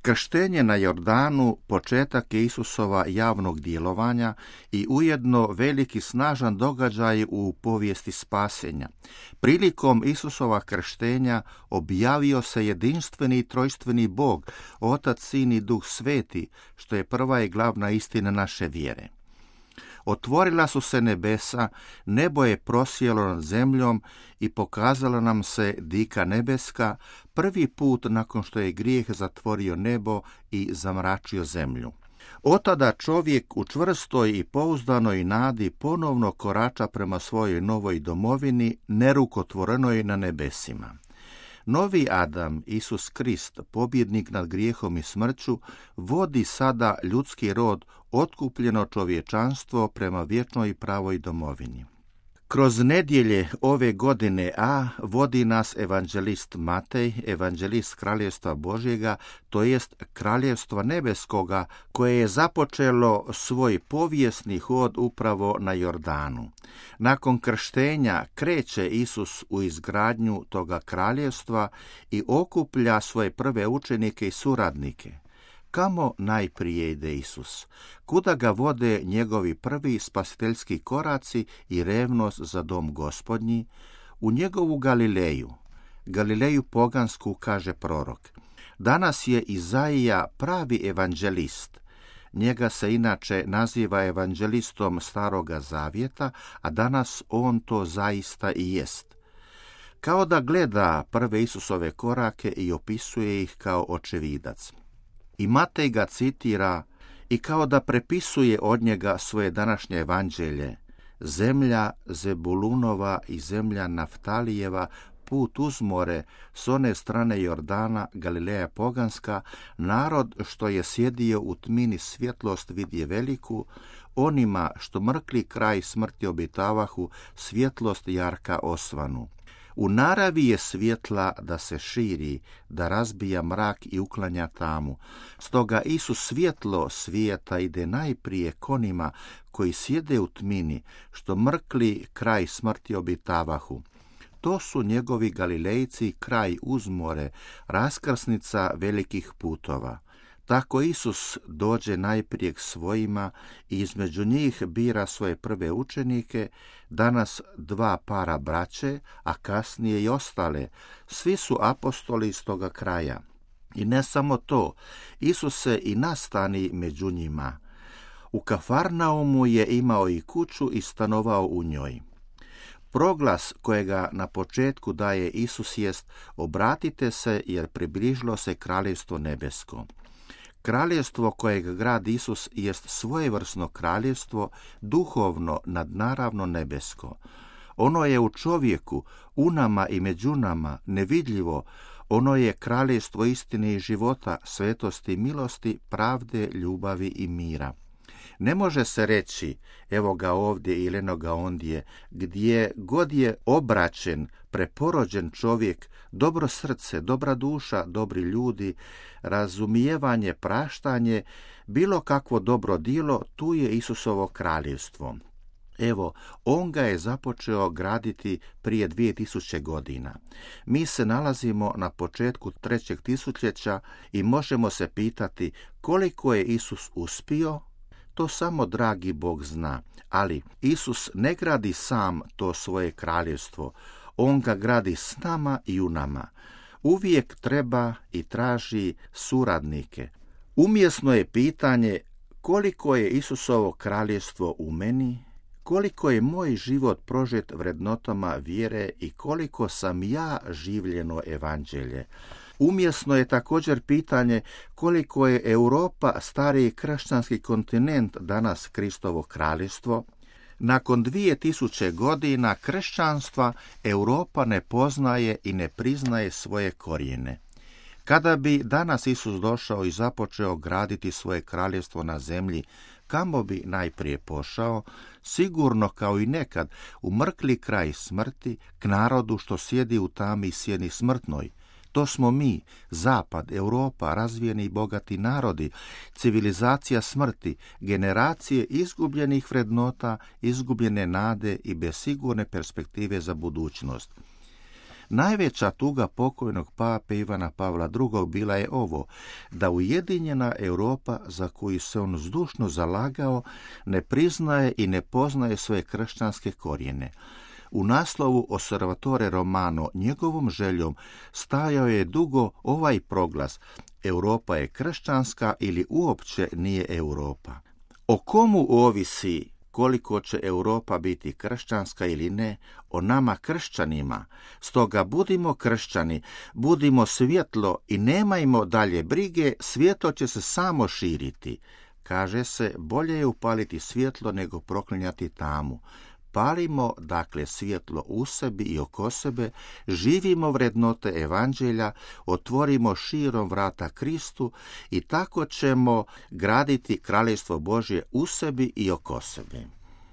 Krštenje na Jordanu početak je Isusova javnog djelovanja i ujedno veliki snažan događaj u povijesti spasenja. Prilikom Isusova krštenja objavio se jedinstveni trojstveni Bog, Otac, Sin i Duh Sveti, što je prva i glavna istina naše vjere. Otvorila su se nebesa, nebo je prosjelo nad zemljom i pokazala nam se dika nebeska, prvi put nakon što je grijeh zatvorio nebo i zamračio zemlju. Otada čovjek u čvrstoj i pouzdanoj nadi ponovno korača prema svojoj novoj domovini, nerukotvorenoj na nebesima. Novi Adam, Isus Krist, pobjednik nad grijehom i smrću, vodi sada ljudski rod, otkupljeno čovječanstvo prema vječnoj pravoj domovini. Kroz nedjelje ove godine A vodi nas evanđelist Matej, evanđelist Kraljevstva Božjega, to jest Kraljevstva Nebeskoga, koje je započelo svoj povijesni hod upravo na Jordanu. Nakon krštenja kreće Isus u izgradnju toga kraljevstva i okuplja svoje prve učenike i suradnike. Kamo najprije ide Isus? Kuda ga vode njegovi prvi spasiteljski koraci i revnost za dom Gospodnji? U njegovu Galileju pogansku, kaže prorok. Danas je Izaija pravi evanđelist. Njega se inače naziva evanđelistom Staroga Zavjeta, a danas on to zaista i jest. Kao da gleda prve Isusove korake i opisuje ih kao očevidac. I Matej ga citira i kao da prepisuje od njega svoje današnje evanđelje. Zemlja Zebulunova i zemlja Naftalijeva, put uz more, s one strane Jordana, Galileja poganska, narod što je sjedio u tmini svjetlost vidje veliku, onima što mrkli kraj smrti obitavahu, svjetlost jarka osvanu. U naravi je svjetla da se širi, da razbija mrak i uklanja tamu. Stoga Isus svjetlo svijeta ide najprije konima koji sjede u tmini, što mrkli kraj smrti obitavahu. To su njegovi Galilejci kraj uz more, raskrsnica velikih putova. Tako Isus dođe najprije k svojima i između njih bira svoje prve učenike, danas 2 para braće, a kasnije i ostale. Svi su apostoli iz toga kraja. I ne samo to, Isus se i nastani među njima. U Kafarnaumu je imao i kuću i stanovao u njoj. Proglas kojega na početku daje Isus jest: obratite se jer približilo se kraljevstvo nebesko. Kraljevstvo kojeg gradi Isus jest svojevrsno kraljevstvo, duhovno, nadnaravno nebesko. Ono je u čovjeku, u nama i među nama, nevidljivo. Ono je kraljevstvo istine i života, svetosti, milosti, pravde, ljubavi i mira. Ne može se reći, evo ga ovdje ili eno ga ondje, gdje god je obraćen, preporođen čovjek, dobro srce, dobra duša, dobri ljudi, razumijevanje, praštanje, bilo kakvo dobro djelo, tu je Isusovo kraljevstvo. Evo, on ga je započeo graditi prije 2000 godina. Mi se nalazimo na početku 3. tisućljeća i možemo se pitati koliko je Isus uspio. To samo dragi Bog zna, ali Isus ne gradi sam to svoje kraljevstvo, on ga gradi s nama i u nama. Uvijek treba i traži suradnike. Umjesno je pitanje koliko je Isusovo kraljevstvo u meni, koliko je moj život prožet vrednotama vjere i koliko sam ja življeno evanđelje. Umjesno je također pitanje koliko je Europa, stariji kršćanski kontinent, danas Kristovo kraljevstvo. Nakon 2000 godina kršćanstva Europa ne poznaje i ne priznaje svoje korijene. Kada bi danas Isus došao i započeo graditi svoje kraljevstvo na zemlji, kamo bi najprije pošao? Sigurno kao i nekad u mrkli kraj smrti, k narodu što sjedi u tami i sjeni smrtnoj. To smo mi, Zapad, Europa, razvijeni i bogati narodi, civilizacija smrti, generacije izgubljenih vrednota, izgubljene nade i bez sigurne perspektive za budućnost. Najveća tuga pokojnog pape Ivana Pavla II. Bila je ovo, da ujedinjena Europa, za koju se on zdušno zalagao, ne priznaje i ne poznaje svoje kršćanske korijene. U naslovu Osservatore Romano njegovom željom stajao je dugo ovaj proglas: Europa je kršćanska ili uopće nije Europa. O komu ovisi koliko će Europa biti kršćanska ili ne? O nama kršćanima. Stoga budimo kršćani, budimo svjetlo i nemajmo dalje brige, svjetlo će se samo širiti. Kaže se, bolje je upaliti svjetlo nego proklinjati tamu. Palimo, dakle, svjetlo u sebi i oko sebe, živimo vrednote evanđelja, otvorimo širom vrata Kristu i tako ćemo graditi kraljevstvo Božje u sebi i oko sebe.